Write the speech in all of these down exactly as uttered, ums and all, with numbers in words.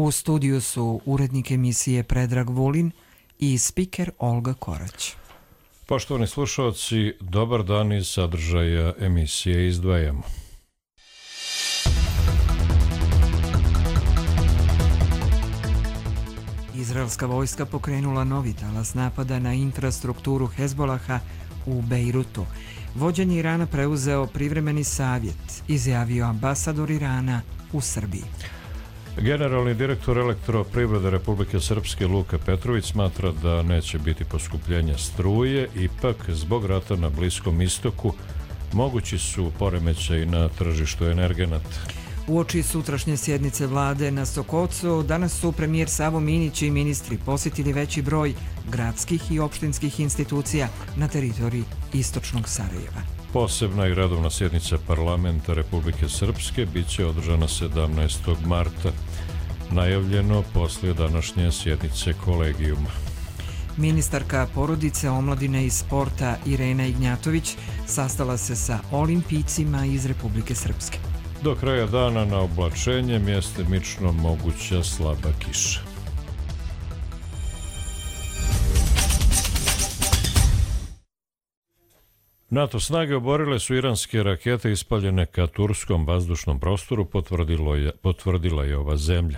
U studiju su urednik emisije Predrag Vulin i spiker Olga Korać. Poštovani slušalci, dobar dan, iz sadržaja emisije izdvajamo. Izraelska vojska pokrenula novi talas napada na infrastrukturu Hezbolaha u Bejrutu. Vođenje Irana preuzeo privremeni savjet, izjavio ambasador Irana u Srbiji. Generalni direktor Elektroprivrede Republike Srpske Luka Petrović smatra da neće biti poskupljenja struje, ipak zbog rata na Bliskom istoku mogući su poremećaji na tržištu energenata. Uoči sutrašnje sjednice vlade na Sokocu, danas su premijer Savo Minić i ministri posjetili veći broj gradskih i opštinskih institucija na teritoriji istočnog Sarajeva. Posebna i redovna sjednica parlamenta Republike Srpske bit će održana sedamnaestog marta, najavljeno poslije današnje sjednice kolegijuma. Ministarka porodice, omladine i sporta Irena Ignjatović sastala se sa olimpijcima iz Republike Srpske. Do kraja dana na oblačenje mjestimično moguća slaba kiša. NATO snage oborile su iranske rakete ispaljene ka turskom vazdušnom prostoru, je, potvrdila je ova zemlja.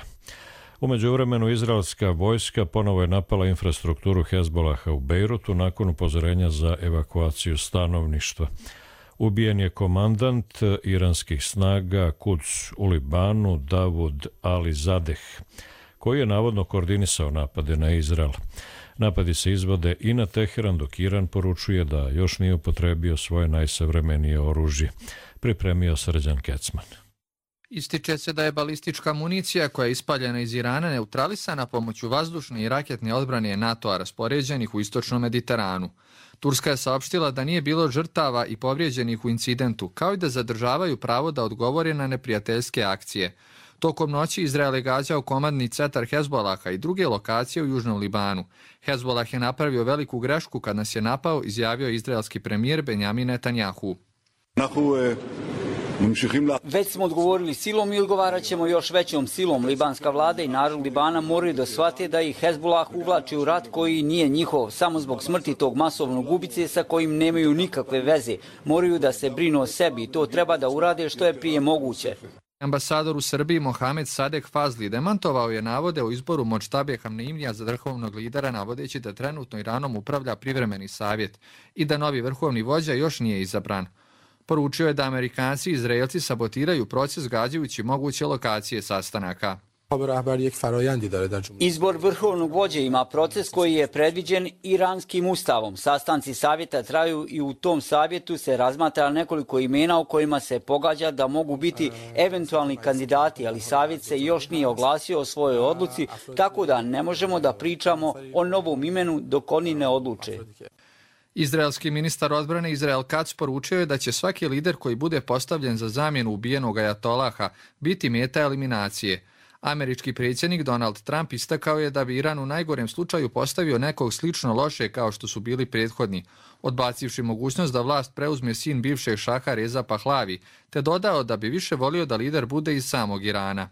U međuvremenu izraelska vojska ponovo je napala infrastrukturu Hezbolaha u Bejrutu nakon upozorenja za evakuaciju stanovništva. Ubijen je komandant iranskih snaga Quds u Libanu Davud Ali Zadeh, koji je navodno koordinisao napade na Izrael. Napadi se izvode i na Teheran, dok Iran poručuje da još nije upotrebio svoje najsavremenije oružje. Pripremio Srđan Kecman. Ističe se da je balistička municija koja je ispaljena iz Irana neutralisana pomoću vazdušne i raketne odbrane NATO-a raspoređenih u istočnom Mediteranu. Turska je saopštila da nije bilo žrtava i povrijeđenih u incidentu, kao i da zadržavaju pravo da odgovore na neprijateljske akcije. Tokom noći Izrael je gađao komandni centar Hezbolaha i druge lokacije u južnom Libanu. Hezbolah je napravio veliku grešku kad nas je napao, izjavio izraelski premijer Benjamin Netanjahu. Već smo odgovorili silom i odgovarat ćemo još većom silom. Libanska vlada i narod Libana moraju da shvate da ih Hezbolah uvlači u rat koji nije njihov, samo zbog smrti tog masovnog ubice sa kojim nemaju nikakve veze. Moraju da se brinu o sebi i to treba da urade što je prije moguće. Ambasador u Srbiji Mohamed Sadek Fazli demantovao je navode o izboru Modžtabe Hamneimija za vrhovnog lidera, navodeći da trenutno Iranom upravlja privremeni savjet i da novi vrhovni vođa još nije izabran. Poručio je da Amerikanci i Izraelci sabotiraju proces gađajući moguće lokacije sastanaka. Izbor vrhovnog vođe ima proces koji je predviđen iranskim ustavom. Sastanci savjeta traju i u tom savjetu se razmatra nekoliko imena o kojima se pogađa da mogu biti eventualni kandidati, ali savjet se još nije oglasio o svojoj odluci, tako da ne možemo da pričamo o novom imenu dok oni ne odluče. Izraelski ministar odbrane Izrael Kac poručio je da će svaki lider koji bude postavljen za zamjenu ubijenog ajatolaha biti meta eliminacije. Američki predsjednik Donald Trump istakao je da bi Iran u najgorem slučaju postavio nekog slično loše kao što su bili prethodni, odbacivši mogućnost da vlast preuzme sin bivšeg šaha Reza Pahlavi, te dodao da bi više volio da lider bude iz samog Irana.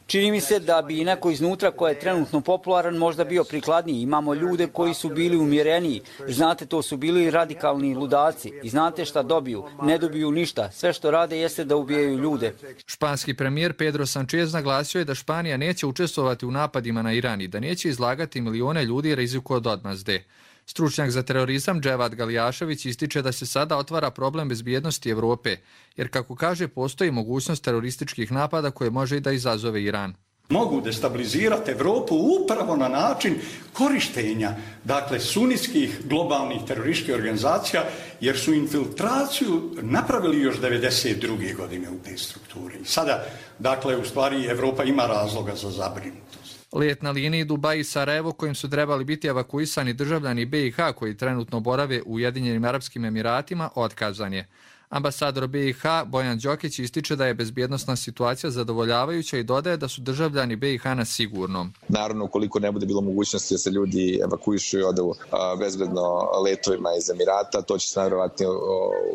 Čini mi se da bi neko iznutra ko je trenutno popularan možda bio prikladniji. Imamo ljude koji su bili umjereniji. Znate, to su bili radikalni ludaci. I znate šta dobiju? Ne dobiju ništa. Sve što rade jeste da ubijaju ljude. Španski premijer Pedro Sanchez naglasio je da Španija neće učestvovati u napadima na Iran i da neće izlagati milione ljudi riziku od odmazde. Stručnjak za terorizam Dževad Galijašević ističe da se sada otvara problem bezbjednosti Evrope, jer kako kaže postoji mogućnost terorističkih napada koje može i da izazove Iran. Mogu destabilizirati Evropu upravo na način korištenja, dakle, sunitskih globalnih terorističkih organizacija, jer su infiltraciju napravili još devedeset druge godine u te strukture. Sada, dakle, u stvari Evropa ima razloga za zabrinutost. Let na liniji Dubaj i Sarajevo, kojim su trebali biti evakuisani državljani B i H koji trenutno borave u Ujedinjenim Arapskim Emiratima, otkazan je. Ambasador B i H Bojan Đokić ističe da je bezbjednosna situacija zadovoljavajuća i dodaje da su državljani B i H na sigurnom. Naravno, ukoliko ne bude bilo mogućnosti da se ljudi evakuišu i odu bezbedno letovima iz Emirata, to će se najvjerovatnije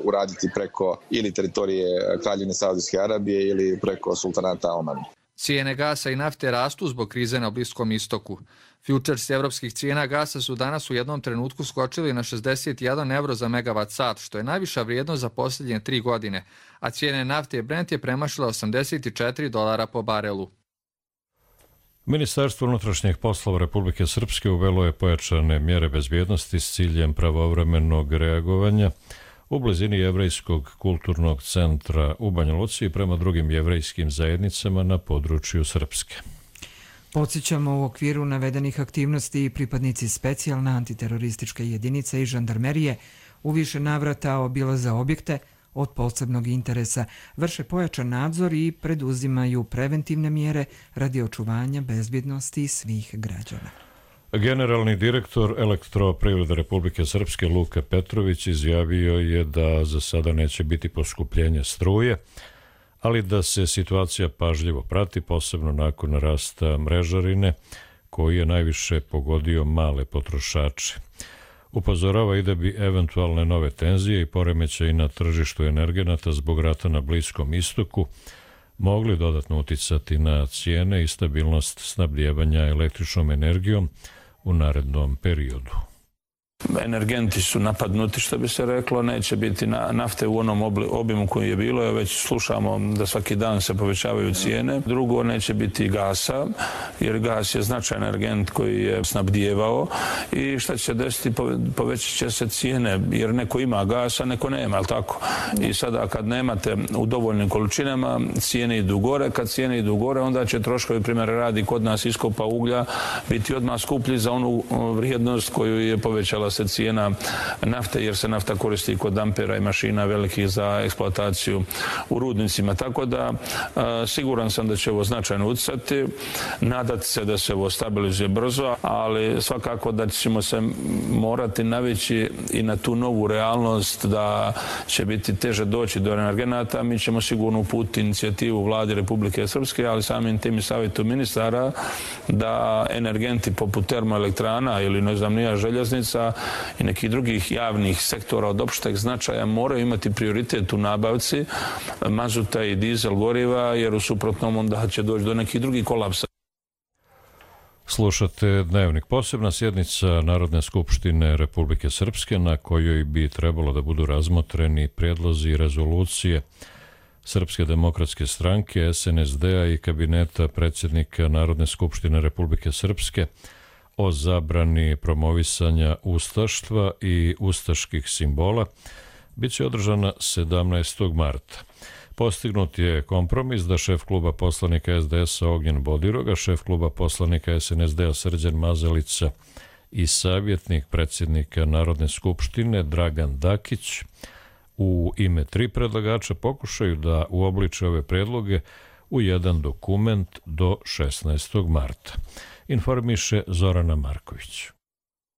uraditi preko ili teritorije Kraljevine Saudijske Arabije ili preko sultanata Omana. Cijene gasa i nafte rastu zbog krize na Bliskom istoku. Futures evropskih cijena gasa su danas u jednom trenutku skočili na šezdeset jedan evro za megavat sat, što je najviša vrijednost za posljednje tri godine, a cijene nafte Brent je premašila osamdeset četiri dolara po barelu. Ministarstvo unutrašnjih poslova Republike Srpske uvelo je pojačane mjere bezbjednosti s ciljem pravovremenog reagovanja u blizini Jevrejskog kulturnog centra u Banja Luci i prema drugim jevrejskim zajednicama na području Srpske. Podsjećamo, u okviru navedenih aktivnosti pripadnici specijalne antiterorističke jedinice i žandarmerije u više navrata obilaze objekte od posebnog interesa, vrše pojačan nadzor i preduzimaju preventivne mjere radi očuvanja bezbjednosti svih građana. Generalni direktor Elektroprivrede Republike Srpske Luka Petrović izjavio je da za sada neće biti poskupljenja struje, ali da se situacija pažljivo prati, posebno nakon rasta mrežarine, koji je najviše pogodio male potrošače. Upozorava i da bi eventualne nove tenzije i poremećaji na tržištu energenata zbog rata na Bliskom istoku mogli dodatno uticati na cijene i stabilnost snabdijevanja električnom energijom u narednom periodu. Energenti su napadnuti, što bi se reklo, neće biti nafte u onom obimu koji je bilo, već slušamo da svaki dan se povećavaju cijene. Drugo, neće biti gasa, jer gas je značajan energent koji je snabdijevao i šta će se desiti, povećat će se cijene, jer neko ima gasa, neko nema, ali tako? I sada kad nemate u dovoljnim količinama, cijene idu gore, kad cijene idu gore, onda će troškovi, primjer radi kod nas iskopa uglja, biti odmah skuplji za onu vrijednost koju je povećala se cijena nafte, jer se nafta koristi kod dampera i mašina velikih za eksploataciju u rudnicima. Tako da siguran sam da će ovo značajno utjecati, nadati se da se ovo stabilizuje brzo, ali svakako da ćemo se morati navići i na tu novu realnost da će biti teže doći do energenata. Mi ćemo sigurno uputiti inicijativu vladi Republike Srpske, ali samim tim i savjetu ministara da energenti poput termoelektrana ili ne znam nija željeznica i nekih drugih javnih sektora od opšteg značaja moraju imati prioritet u nabavci mazuta i dizel goriva, jer u suprotnom onda će doći do nekih drugih kolapsa. Slušate Dnevnik. Posebna sjednica Narodne skupštine Republike Srpske na kojoj bi trebalo da budu razmotreni prijedlozi i rezolucije Srpske demokratske stranke, es en es de-a i kabineta predsjednika Narodne skupštine Republike Srpske o zabrani promovisanja ustaštva i ustaških simbola biće održana sedamnaestog marta. Postignut je kompromis da šef kluba poslanika es de es-a Ognjen Bodiroga, šef kluba poslanika es en es de-a Srđan Mazalica i savjetnik predsjednika Narodne skupštine Dragan Dakić u ime tri predlagača pokušaju da uobliče ove predloge u jedan dokument do šesnaestog marta. Informiše Zorana Marković.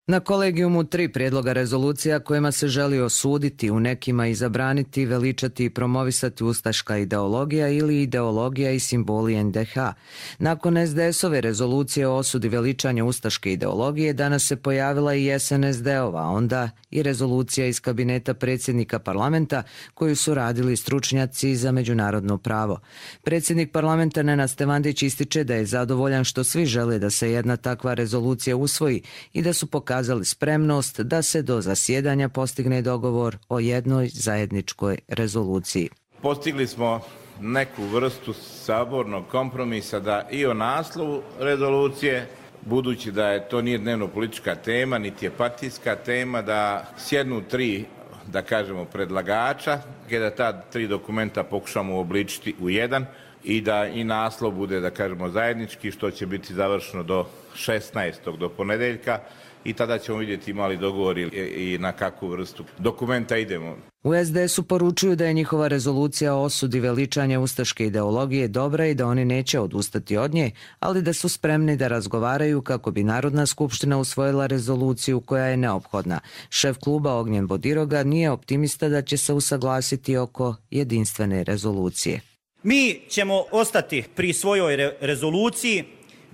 Na kolegijumu tri prijedloga rezolucija kojima se želi osuditi, u nekima i zabraniti, veličati i promovisati ustaška ideologija ili ideologija i simboli en de ha. Nakon es de es-ove rezolucije o osudi veličanja ustaške ideologije danas se pojavila i es en es de-ova, onda i rezolucija iz kabineta predsjednika parlamenta koju su radili stručnjaci za međunarodno pravo. Predsjednik parlamenta Nenad Stevandić ističe da je zadovoljan što svi žele da se jedna takva rezolucija usvoji i da su pokazali pokazali spremnost da se do zasjedanja postigne dogovor o jednoj zajedničkoj rezoluciji. Postigli smo neku vrstu sabornog kompromisa da i o naslovu rezolucije, budući da je to nije dnevno politička tema, niti je partijska tema, da sjednu tri, da kažemo, predlagača, da ta tri dokumenta pokušamo uobličiti u jedan i da i naslov bude, da kažemo, zajednički, što će biti završeno do šesnaestog do ponedeljka. I tada ćemo vidjeti imali dogovor i na kakvu vrstu dokumenta idemo. U es de es-u poručuju da je njihova rezolucija o osudi veličanja ustaške ideologije dobra i da oni neće odustati od nje, ali da su spremni da razgovaraju kako bi Narodna skupština usvojila rezoluciju koja je neophodna. Šef kluba Ognjen Bodiroga nije optimista da će se usaglasiti oko jedinstvene rezolucije. Mi ćemo ostati pri svojoj re- rezoluciji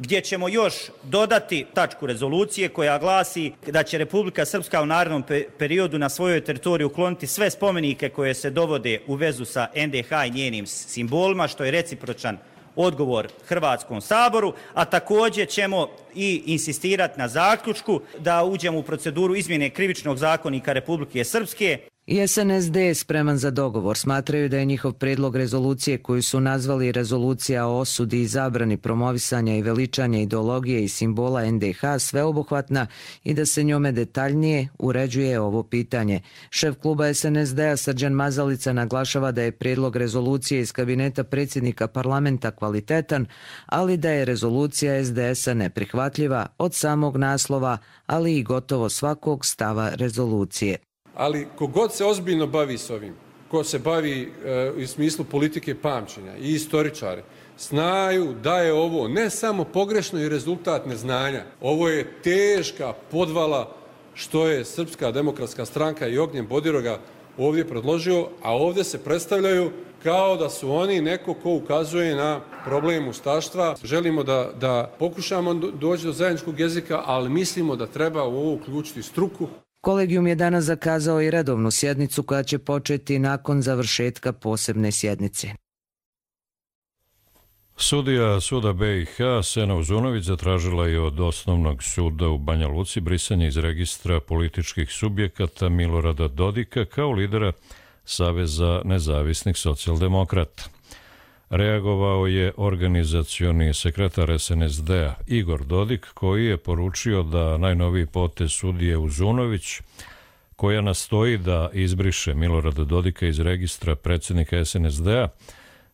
gdje ćemo još dodati tačku rezolucije koja glasi da će Republika Srpska u narednom periodu na svojoj teritoriji ukloniti sve spomenike koje se dovode u vezu sa en de ha i njenim simbolima, što je recipročan odgovor Hrvatskom saboru, a također ćemo i insistirati na zaključku da uđemo u proceduru izmjene Krivičnog zakonika Republike Srpske. I S N S D je spreman za dogovor. Smatraju da je njihov predlog rezolucije koju su nazvali rezolucija o osudi i zabrani promovisanja i veličanja ideologije i simbola N D H sveobuhvatna i da se njome detaljnije uređuje ovo pitanje. Šef kluba S N S D-a Srđan Mazalica naglašava da je predlog rezolucije iz kabineta predsjednika parlamenta kvalitetan, ali da je rezolucija S D S-a neprihvatljiva od samog naslova, ali i gotovo svakog stava rezolucije. Ali kogod se ozbiljno bavi s ovim, ko se bavi e, u smislu politike pamćenja i istoričari, znaju da je ovo ne samo pogrešno i rezultat neznanja, ovo je teška podvala što je Srpska demokratska stranka i Ognjen Bodiroga ovdje predložio, a ovdje se predstavljaju kao da su oni neko ko ukazuje na problem ustaštva. Želimo da, da pokušamo doći do zajedničkog jezika, ali mislimo da treba u ovo uključiti struku. Kolegijum je danas zakazao i redovnu sjednicu koja će početi nakon završetka posebne sjednice. Sudija suda B i H Sena Uzunović zatražila je od Osnovnog suda u Banja Luci brisanje iz registra političkih subjekata Milorada Dodika kao lidera Saveza nezavisnih socijaldemokrata. Reagovao je organizacioni sekretar S N S D-a Igor Dodik, koji je poručio da najnoviji potez sudije Uzunović, koja nastoji da izbriše Milorada Dodika iz registra predsjednika S N S D-a,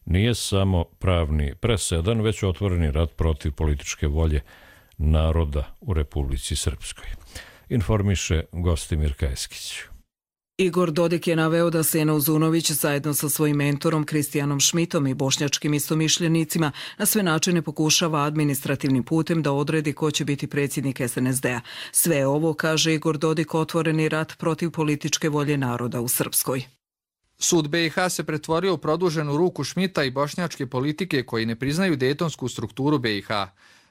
nije samo pravni presedan, već otvoreni rat protiv političke volje naroda u Republici Srpskoj. Informiše Gostimir Kajskić. Igor Dodik je naveo da Sena Uzunović zajedno sa svojim mentorom Kristijanom Šmitom i bošnjačkim istomišljenicima na sve načine pokušava administrativnim putem da odredi ko će biti predsjednik S N S D-a. Sve ovo, kaže Igor Dodik, otvoreni rat protiv političke volje naroda u Srpskoj. Sud B i H se pretvorio u produženu ruku Šmita i bošnjačke politike koji ne priznaju dejtonsku strukturu B i H.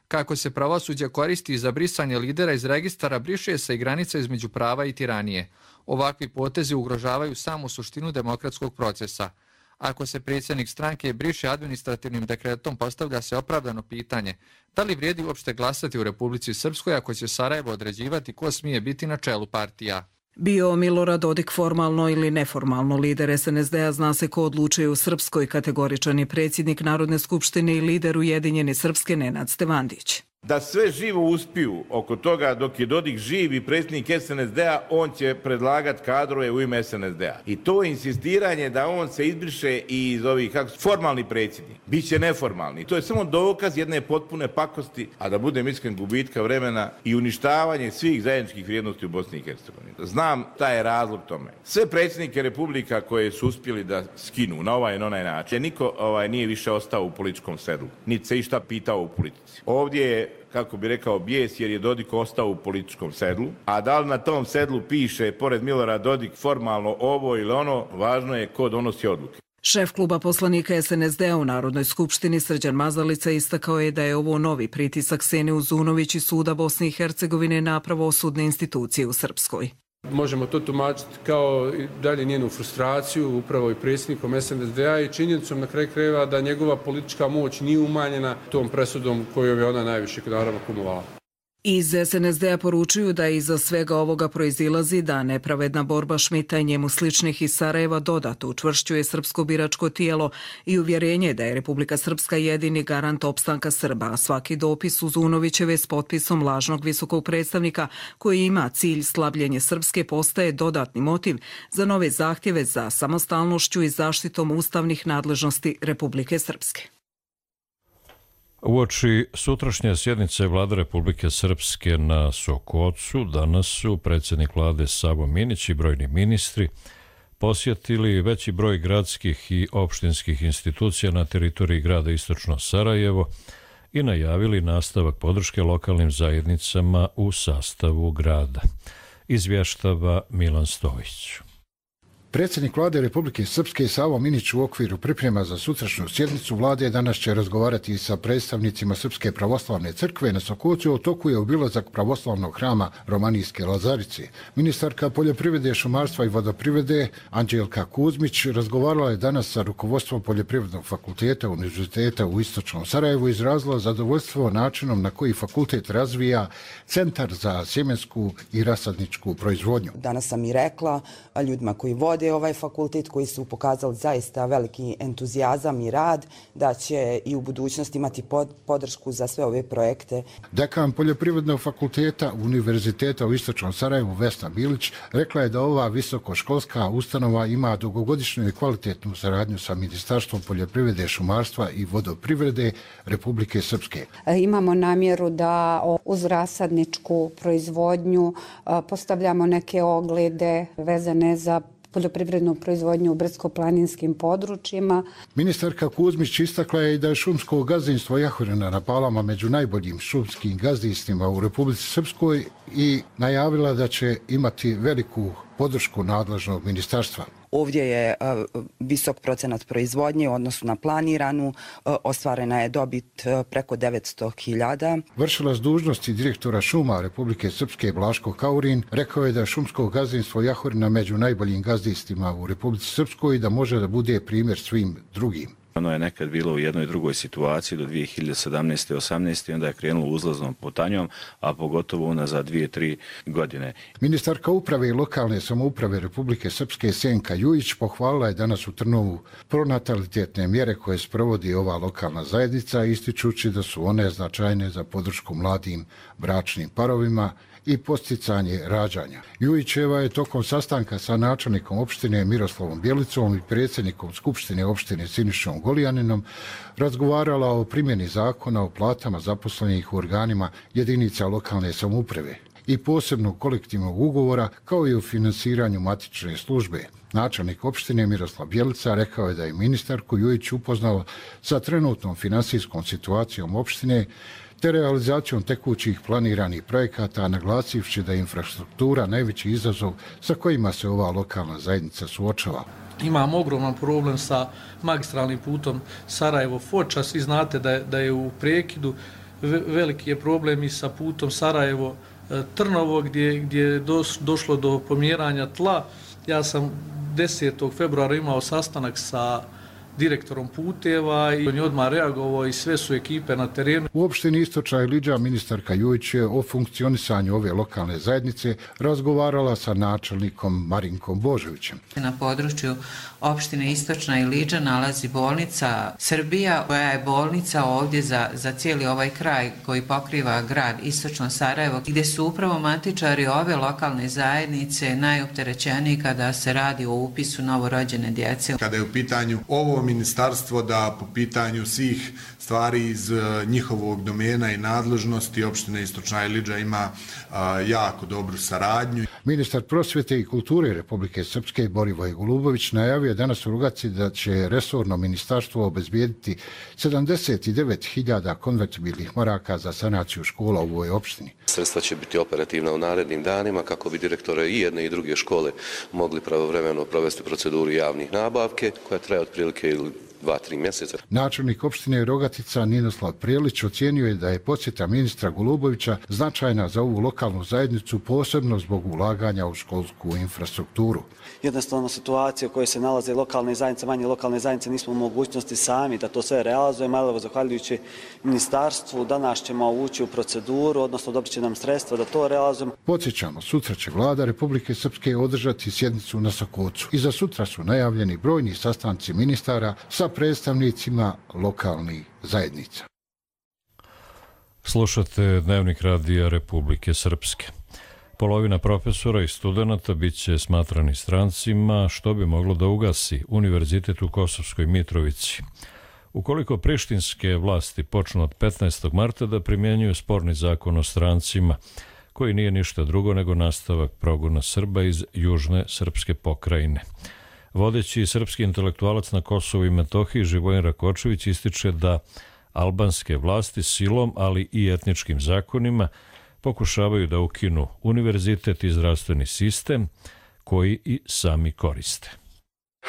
Kako se pravosuđe koristi za brisanje lidera iz registara, briše se i granica između prava i tiranije. Ovakvi potezi ugrožavaju samu suštinu demokratskog procesa. Ako se predsjednik stranke briše administrativnim dekretom, postavlja se opravdano pitanje da li vrijedi uopšte glasati u Republici Srpskoj ako će Sarajevo određivati ko smije biti na čelu partija. Bio Milorad Dodik formalno ili neformalno lider S N S D-a, zna se ko odlučuje u Srpskoj, kategoričan je predsjednik Narodne skupštine i lider Ujedinjene Srpske Nenad Stevandić. Da sve živo uspiju oko toga dok je Dodik živ i predsjednik S N S D-a, on će predlagati kadrove u ime S N S D-a. I to insistiranje da on se izbriše i iz ovih kako, formalni predsjednik, bit će neformalni. To je samo dokaz jedne potpune pakosti, a da budem iskren, gubitka vremena i uništavanje svih zajedničkih vrijednosti u Bosni i Hercegovini. Znam taj je razlog tome. Sve predsjednike republika koje su uspjeli da skinu na ovaj i na onaj način, niko ovaj, nije više ostao u političkom sedlu, niti se išta pitao u politici. Ovdje je, kako bi rekao, bijes jer je Dodik ostao u političkom sedlu, a da li na tom sedlu piše pored Milorada Dodik formalno ovo ili ono, važno je ko donosi odluke. Šef kluba poslanika S N S D-a u Narodnoj skupštini Srđan Mazalica istakao je da je ovo novi pritisak Sene Uzunović i suda Bosne i Hercegovine na pravosudne institucije u Srpskoj. Možemo to tumačiti kao dalje njenu frustraciju upravo i predsjednikom S N S D-a i činjenicom na kraju krajeva da njegova politička moć nije umanjena tom presudom kojom je ona najviše naravno kumovala. Iz S N S D-a poručuju da iza svega ovoga proizilazi da nepravedna borba Šmita i njemu sličnih iz Sarajeva dodatno učvršćuje srpsko biračko tijelo i uvjerenje da je Republika Srpska jedini garant opstanka Srba, a svaki dopis Uzunovićeve s potpisom lažnog visokog predstavnika koji ima cilj slabljenje Srpske postaje dodatni motiv za nove zahtjeve za samostalnošću i zaštitom ustavnih nadležnosti Republike Srpske. Uoči sutrašnje sjednice Vlade Republike Srpske na Sokocu, danas su predsjednik vlade Savo Minić i brojni ministri posjetili veći broj gradskih i opštinskih institucija na teritoriji grada Istočno Sarajevo i najavili nastavak podrške lokalnim zajednicama u sastavu grada. Izvještava Milan Stojić. Predsjednik vlade Republike Srpske Savo Minić u okviru priprema za sutrašnju sjednicu vlade danas će razgovarati sa predstavnicima Srpske pravoslavne crkve na Sokocu. U toku je obilazak pravoslavnog hrama Romanijske Lazarice. Ministarka poljoprivrede, šumarstva i vodoprivrede Anđelka Kuzmić razgovarala je danas sa rukovodstvom Poljoprivrednog fakulteta Univerziteta u Istočnom Sarajevu, izrazila zadovoljstvo načinom na koji fakultet razvija Centar za sjemensku i rasadničku proizvodnju. Danas sam i rekla ljudima koji vode ovaj fakultet, koji su pokazali zaista veliki entuzijazam i rad, da će i u budućnosti imati podršku za sve ove projekte. Dekan Poljoprivrednog fakulteta Univerziteta u Istočnom Sarajevu Vesna Bilić rekla je da ova visokoškolska ustanova ima dugogodišnju i kvalitetnu saradnju sa Ministarstvom poljoprivrede, šumarstva i vodoprivrede Republike Srpske. Imamo namjeru da uz rasadničku proizvodnju postavljamo neke oglede vezane za poljoprivrednu proizvodnju u brdsko-planinskim područjima. Ministarka Kuzmić istakla je i da je šumsko gazdinstvo Jahorina na Palama među najboljim šumskim gazdinstvima u Republici Srpskoj i najavila da će imati veliku podršku nadležnog ministarstva. Ovdje je visok procenat proizvodnje u odnosu na planiranu, ostvarena je dobit preko devetsto hiljada. Vršilac dužnosti direktora šuma Republike Srpske Blaško Kaurin rekao je da je šumsko gazdinstvo Jahorina među najboljim gazdinstvima u Republici Srpskoj i da može da bude primjer svim drugim. Ono je nekad bilo u jednoj drugoj situaciji do dvije hiljade sedamnaeste. osamnaeste. onda je krenulo uzlaznom putanjom, a pogotovo unazad dvije, tri godine. Ministarka uprave i lokalne samouprave Republike Srpske Senka Jujić pohvalila je danas u Trnovu pronatalitetne mjere koje sprovodi ova lokalna zajednica, ističući da su one značajne za podršku mladim bračnim parovima i posticanje rađanja. Jujićeva je tokom sastanka sa načelnikom opštine Miroslavom Bjelicom i predsjednikom Skupštine opštine Sinišom Golijaninom razgovarala o primjeni zakona o platama zaposlenih u organima jedinica lokalne samouprave i posebnog kolektivnog ugovora, kao i o finansiranju matične službe. Načelnik opštine Miroslav Bjelica rekao je da je ministarku Jujić upoznao sa trenutnom finansijskom situacijom opštine te realizacijom tekućih planiranih projekata, naglasivši da je infrastruktura najveći izazov sa kojima se ova lokalna zajednica suočava. Imamo ogroman problem sa magistralnim putom Sarajevo-Foča. Svi znate da je, da je u prekidu. Veliki je problem i sa putom Sarajevo-Trnovo gdje, gdje je došlo do pomjeranja tla. Ja sam desetog februara imao sastanak sa direktorom puteva i on je odmah reagovao i sve su ekipe na terenu. U opštini Istočna Iliđa ministarka Jujić je o funkcionisanju ove lokalne zajednice razgovarala sa načelnikom Marinkom Božovićem. Na području opštine Istočna Iliđa nalazi bolnica Srbija, koja je bolnica ovdje za, za cijeli ovaj kraj koji pokriva grad Istočno Sarajevo, gdje su upravo matičari ove lokalne zajednice najopterećeniji kada se radi o upisu novorođene djece. Kada je u pitanju ovo ministarstvo da po pitanju svih stvari iz njihovog domena i nadležnosti opštine Istočna Iliđa ima a, jako dobru saradnju. Ministar prosvjete i kulture Republike Srpske Borivoj Golubović najavio danas u Rugaci da će resorno ministarstvo obezbijediti sedamdeset devet hiljada konvertibilnih maraka za sanaciju škola u ovoj opštini. Sredstva će biti operativna u narednim danima kako bi direktore i jedne i druge škole mogli pravovremeno provesti proceduru javnih nabavke koja traje otprilike ili dva, tri mjeseca. Načelnik opštine Rogatica Ninoslav Prijelić ocijenio je da je posjeta ministra Golubovića značajna za ovu lokalnu zajednicu, posebno zbog ulaganja u školsku infrastrukturu. Jednostavno situacija u kojoj se nalaze lokalne zajednice, manje lokalne zajednice, nismo u mogućnosti sami da to sve realizujemo, ali zahvaljujući ministarstvu danas ćemo ući u proceduru, odnosno dobit će nam sredstva da to realizujemo. Podsjećamo, sutra će vlada Republike Srpske održati sjednicu na Sokocu. I za sutra su najavljeni brojni sastanci ministara sa predstavnicima lokalnih zajednica. Slušate Dnevnik radija Republike Srpske. Polovina profesora i studenata bit će smatrani strancima, što bi moglo da ugasi Univerzitet u Kosovskoj Mitrovici. Ukoliko prištinske vlasti počnu od petnaestog marta da primjenjuju sporni zakon o strancima, koji nije ništa drugo nego nastavak progona Srba iz južne srpske pokrajine. Vodeći srpski intelektualac na Kosovu i Metohiji Živojin Rakočević ističe da albanske vlasti silom, ali i etničkim zakonima pokušavaju da ukinu univerzitet i zdravstveni sistem koji i sami koriste.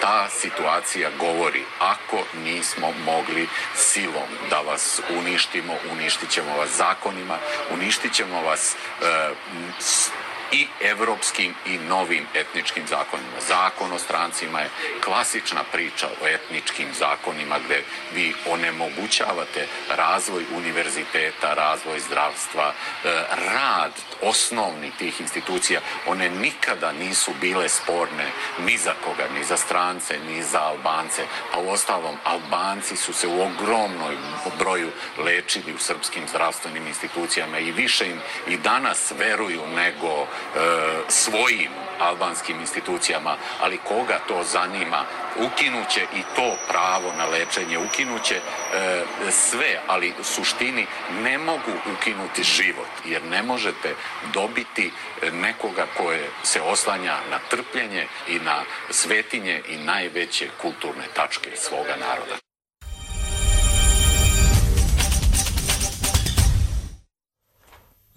Ta situacija govori, ako nismo mogli silom da vas uništimo, uništit ćemo vas zakonima, uništit ćemo vas e, i evropskim i novim etničkim zakonima. Zakon o strancima je klasična priča o etničkim zakonima gde vi onemogućavate razvoj univerziteta, razvoj zdravstva, rad osnovnih tih institucija. One nikada nisu bile sporne ni za koga, ni za strance, ni za Albance. A u ostalom, Albanci su se u ogromnoj broju lečili u srpskim zdravstvenim institucijama i više im i danas veruju nego svojim albanskim institucijama, ali koga to zanima, ukinuće i to pravo na lečenje, ukinuće e, sve, ali u suštini ne mogu ukinuti život, jer ne možete dobiti nekoga koje se oslanja na trpljenje i na svetinje i najveće kulturne tačke svoga naroda.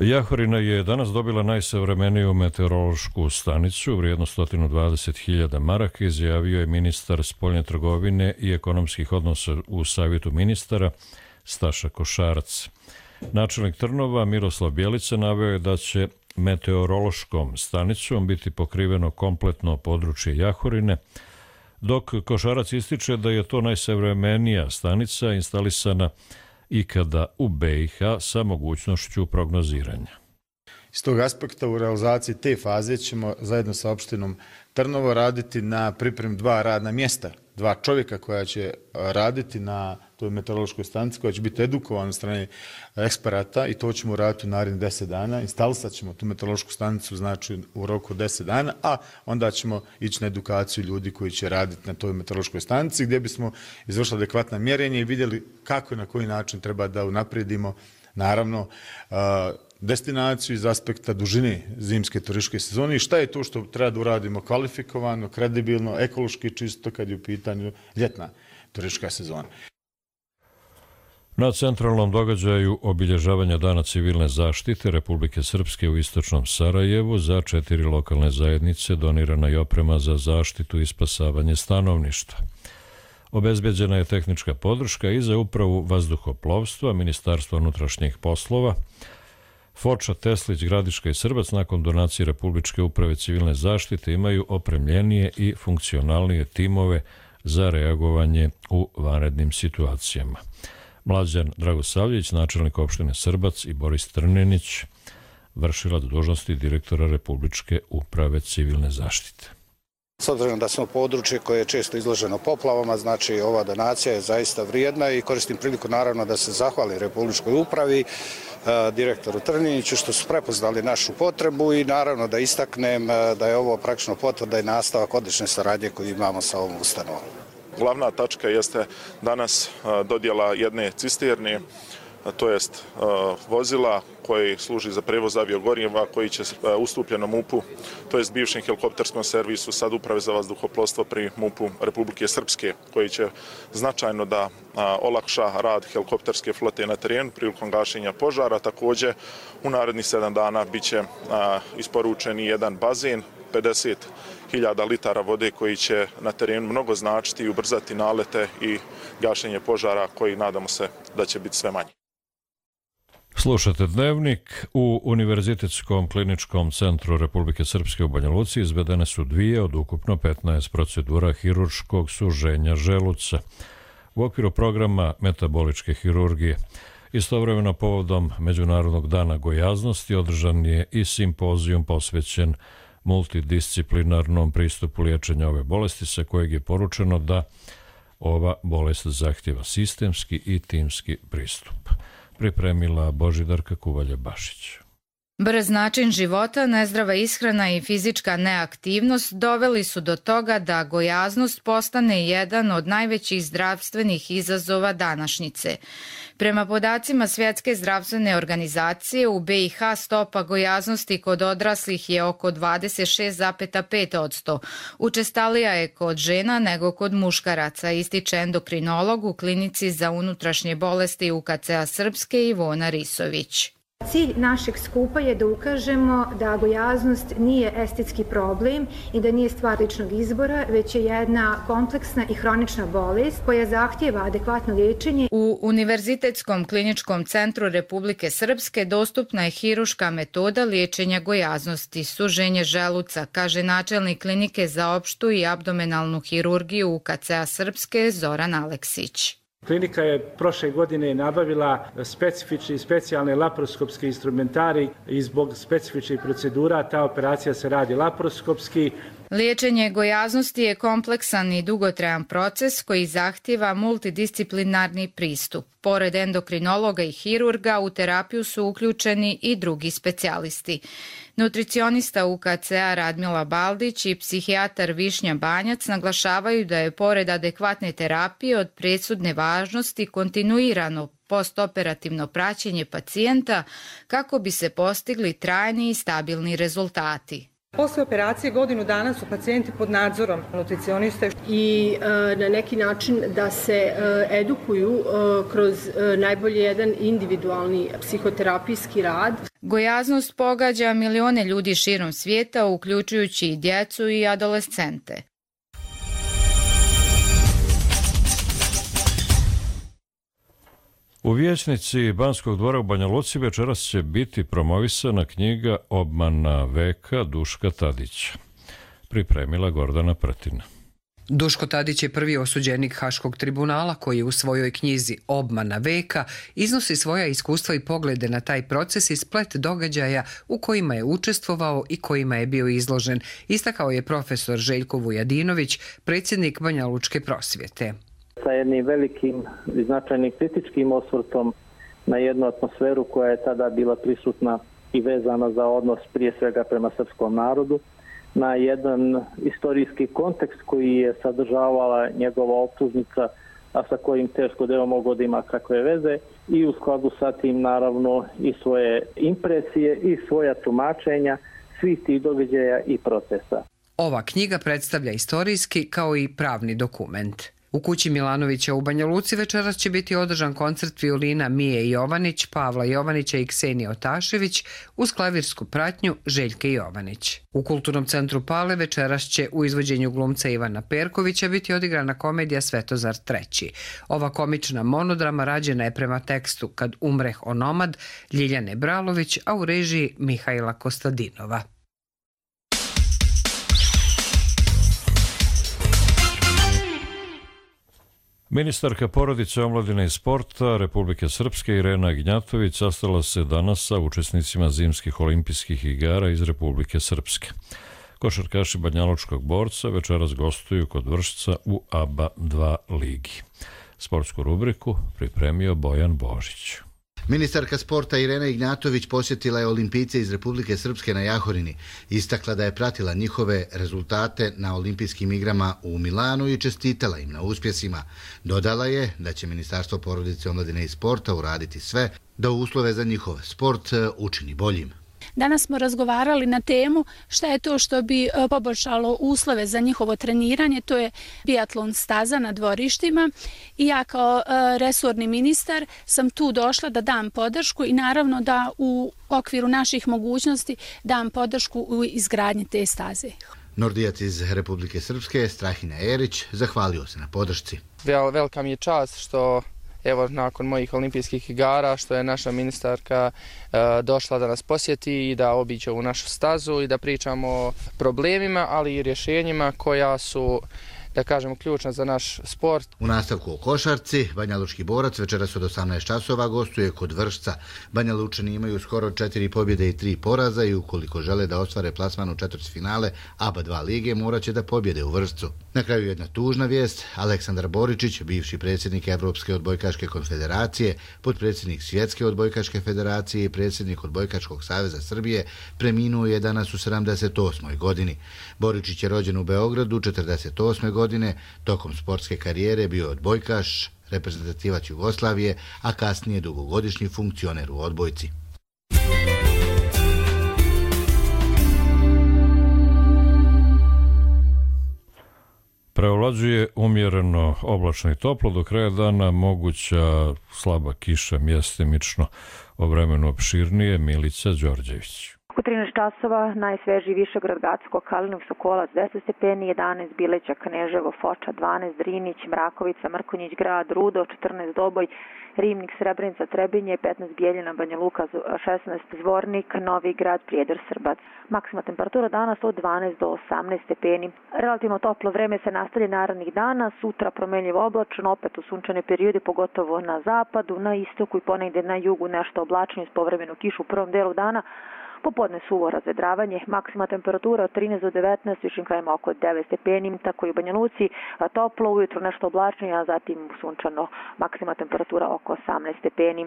Jahorina je danas dobila najsavremeniju meteorološku stanicu, vrijedno sto dvadeset hiljada maraka, izjavio je ministar spoljne trgovine i ekonomskih odnosa u Savjetu ministara Staša Košarac. Načelnik Trnova Miroslav Bjelica naveo je da će meteorološkom stanicom biti pokriveno kompletno područje Jahorine, dok Košarac ističe da je to najsavremenija stanica instalisana ikada u B i H sa mogućnošću prognoziranja. Iz tog aspekta u realizaciji te faze ćemo zajedno sa opštinom Trnovo raditi na pripremi dva radna mjesta, dva čovjeka koja će raditi na toj meteorološkoj stanici, koja će biti edukovana od strane eksperata i to ćemo raditi u narednih deset dana. Instalisat ćemo tu meteorološku stanicu znači u roku deset dana, a onda ćemo ići na edukaciju ljudi koji će raditi na toj meteorološkoj stanici gdje bismo izvršili adekvatna mjerenja i vidjeli kako i na koji način treba da unaprijedimo naravno destinaciju iz aspekta dužine zimske turističke sezone i šta je to što treba da uradimo kvalifikovano, kredibilno, ekološki čisto kad je u pitanju ljetna turistička sezona. Na centralnom događaju obilježavanja Dana civilne zaštite Republike Srpske u istočnom Sarajevu za četiri lokalne zajednice donirana je oprema za zaštitu i spasavanje stanovništva. Obezbeđena je tehnička podrška i za upravu vazduhoplovstva, Ministarstva unutrašnjih poslova, Foča, Teslić, Gradiška i Srbac nakon donacije Republičke uprave civilne zaštite imaju opremljenije i funkcionalnije timove za reagovanje u vanrednim situacijama. Mlađan Dragosavljević, načelnik opštine Srbac i Boris Trnenić, vršilac dužnosti direktora Republičke uprave civilne zaštite. S obzirom da smo područje koje je često izloženo poplavama, znači ova donacija je zaista vrijedna i koristim priliku naravno da se zahvali Republičkoj upravi, direktoru Trniniću što su prepoznali našu potrebu i naravno da istaknem da je ovo praktično potvrda i nastavak odlične saradnje koju imamo sa ovom ustanovom. Glavna tačka jeste danas dodjela jedne cisterne, to jest vozila koji služi za prevoz aviogoriva, koji će ustupljenom M U P-u, to jest bivšem helikopterskom servisu sad Uprave za vazduhoplovstvo pri M U P-u Republike Srpske, koji će značajno da olakša rad helikopterske flote na terenu prilikom gašenja požara. Također u narednih sedam dana bit će isporučen jedan bazen, pedeset hiljada litara vode koji će na terenu mnogo značiti i ubrzati nalete i gašenje požara koji nadamo se da će biti sve manje. Slušate Dnevnik. U Univerzitetskom kliničkom centru Republike Srpske u Banja Luci izvedene su dvije od ukupno petnaest procedura hirurškog suženja želuca u okviru programa metaboličke hirurgije. Istovremeno povodom Međunarodnog dana gojaznosti održan je i simpozijum posvećen multidisciplinarnom pristupu liječenja ove bolesti, sa kojeg je poručeno da ova bolest zahtjeva sistemski i timski pristup. Pripremila Božidarka Kuvalja-Bašić. Brz način života, nezdrava ishrana i fizička neaktivnost doveli su do toga da gojaznost postane jedan od najvećih zdravstvenih izazova današnjice. Prema podacima Svjetske zdravstvene organizacije, u B i H stopa gojaznosti kod odraslih je oko dvadeset šest zarez pet posto. Učestalija je kod žena nego kod muškaraca, ističe endokrinolog u klinici za unutrašnje bolesti U K C-a Srpske Ivona Risović. Cilj našeg skupa je da ukažemo da gojaznost nije estetski problem i da nije stvar ličnog izbora, već je jedna kompleksna i hronična bolest koja zahtijeva adekvatno liječenje. U Univerzitetskom kliničkom centru Republike Srpske dostupna je hiruška metoda liječenja gojaznosti, suženje želuca, kaže načelnik klinike za opštu i abdomenalnu hirurgiju U K C-a Srpske Zoran Aleksić. Klinika je prošle godine nabavila specifični i specijalne laparoskopski instrumentari i zbog specifičnih procedura ta operacija se radi laparoskopski. Liječenje gojaznosti je kompleksan i dugotrajan proces koji zahtijeva multidisciplinarni pristup. Pored endokrinologa i hirurga u terapiju su uključeni i drugi specijalisti. Nutricionista U K C-a Radmila Baldić i psihijatar Višnja Banjac naglašavaju da je pored adekvatne terapije od presudne važnosti kontinuirano postoperativno praćenje pacijenta kako bi se postigli trajni i stabilni rezultati. Posle operacije godinu dana su pacijenti pod nadzorom nutricioniste i e, na neki način da se e, edukuju e, kroz e, najbolje jedan individualni psihoterapijski rad. Gojaznost pogađa milione ljudi širom svijeta, uključujući i djecu i adolescente. U vijećnici Banskog dvora u Banja Luci večeras će biti promovisana knjiga Obmana veka Duška Tadića. Pripremila Gordana Pretina. Duško Tadić je prvi osuđenik Haškog tribunala koji u svojoj knjizi Obmana veka iznosi svoja iskustva i poglede na taj proces i splet događaja u kojima je učestvovao i kojima je bio izložen, istakao je profesor Željko Vujadinović, predsjednik Banja Lučke prosvjete. Sa jednim velikim i značajnim kritičkim osvrtom na jednu atmosferu koja je tada bila prisutna i vezana za odnos prije svega prema srpskom narodu, na jedan istorijski kontekst koji je sadržavala njegova optužnica, a sa kojim teško da je mogao da ima kakve veze, i u skladu sa tim naravno i svoje impresije i svoja tumačenja svih tih događaja i procesa. Ova knjiga predstavlja istorijski kao i pravni dokument. U kući Milanovića u Banja Luci večeras će biti održan koncert violina Mije Jovanić, Pavla Jovanića i Ksenije Otašević uz klavirsku pratnju Željke Jovanić. U Kulturnom centru Pale večeras će u izvođenju glumca Ivana Perkovića biti odigrana komedija Svetozar treći. Ova komična monodrama rađena je prema tekstu Kad umreh onomad Ljiljane Bralović, a u režiji Mihajla Kostadinova. Ministarka porodice, omladine i sporta Republike Srpske Irena Gnjatović sastala se danas sa učesnicima zimskih olimpijskih igara iz Republike Srpske. Košarkaši banjalučkog borca večeras gostuju kod Vršca u A B A dva ligi. Sportsku rubriku pripremio Bojan Božić. Ministarka sporta Irena Ignjatović posjetila je olimpijce iz Republike Srpske na Jahorini. Istakla da je pratila njihove rezultate na olimpijskim igrama u Milanu i čestitala im na uspjesima. Dodala je da će Ministarstvo porodice, omladine i sporta uraditi sve da uslove za njihov sport učini boljim. Danas smo razgovarali na temu šta je to što bi poboljšalo uslove za njihovo treniranje, to je biatlon staza na dvorištima i ja kao resorni ministar sam tu došla da dam podršku i naravno da u okviru naših mogućnosti dam podršku u izgradnji te staze. Nordijac iz Republike Srpske, Strahinja Erić, zahvalio se na podršci. Vel, velika mi je čast što evo nakon mojih olimpijskih igara što je naša ministarka e, došla da nas posjeti i da obiđe ovu našu stazu i da pričamo o problemima, ali i rješenjima koja su, da kažemo, ključna za naš sport. U nastavku o košarci, Banjalučki borac večeras od osamnaest časova gostuje kod Vršca. Banjalučani imaju skoro četiri pobjede i tri poraza i ukoliko žele da ostvare plasman u četvrtfinale A B A dva lige, morat će da pobjede u Vršcu. Na kraju jedna tužna vijest. Aleksandar Boričić, bivši predsjednik Evropske odbojkaške konfederacije, potpredsjednik Svjetske odbojkaške federacije i predsjednik Odbojkaškog saveza Srbije, preminuo je danas u sedamdeset osmoj godini. Boričić je rođen u Beogradu četrdeset osme godine, tokom sportske karijere bio odbojkaš, reprezentativac Jugoslavije, a kasnije dugogodišnji funkcioner u odbojci. Prevladavanje Prevlađuje umjereno oblačno i toplo, do kraja dana moguća slaba kiša mjestimično, o vremenu opširnije Milica Đorđević. U trinaest časova najsvežiji Višegrad, Gacko, Kalinov, Sokolac deset stepeni, jedanaest Bileća, Kneževo, Foča dvanaest, Drinić, Mrakovica, Mrkonjić Grad, Rudo četrnaest, Doboj, Rivnik, Srebrenica, Trebinje, petnaest Bijeljina, Banja Luka, šesnaest Zvornik, Novi Grad, Prijedor, Srbac. Maksimalna temperatura danas od dvanaest do osamnaest stepeni. Relativno toplo vreme se nastavlja narednih dana, sutra promenljivo oblačno, opet u sunčane periode, pogotovo na zapadu, na istoku i ponegde na jugu nešto oblačno iz povremenu kišu u prvom delu dana. Popodne suvo razvedravanje, maksima temperatura od trinaest do devetnaest, višim krajima oko devet stepeni, tako i u Banja Luci, toplo, ujutro nešto oblačnije, a zatim sunčano, maksima temperatura oko osamnaest stepeni.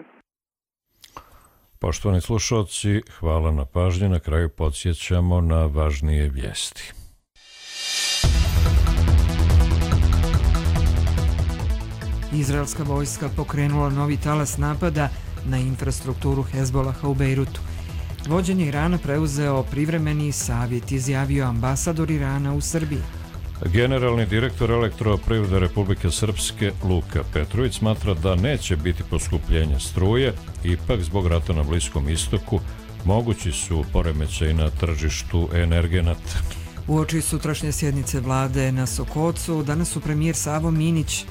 Poštovani slušalci, hvala na pažnji, na kraju podsjećamo na važnije vijesti. Izraelska vojska pokrenula novi talas napada na infrastrukturu Hezbolaha u Bejrutu. Vođenje Irana preuzeo privremeni savjet, izjavio ambasador Irana u Srbiji. Generalni direktor Elektroprivrede Republike Srpske Luka Petrović smatra da neće biti poskupljenja struje, ipak zbog rata na Bliskom istoku mogući su poremećaji na tržištu energenata. Uoči sutrašnje sjednice vlade na Sokocu, danas su premijer Savo Minić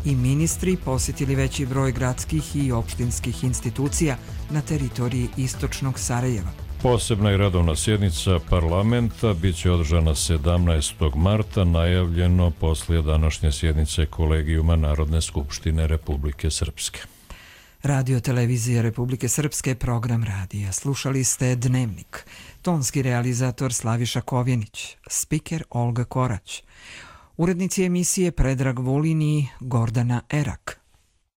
i ministri posjetili veći broj gradskih i opštinskih institucija na teritoriji istočnog Sarajeva. Posebna i radovna sjednica parlamenta bit će održana sedamnaestog marta, najavljeno poslije današnje sjednice Kolegijuma Narodne skupštine Republike Srpske. Radio televizija Republike Srpske, program radija. Slušali ste Dnevnik. Tonski realizator Slaviša Kovjenić, spiker Olga Korać. Urednici emisije Predrag Vulin i Gordana Erak.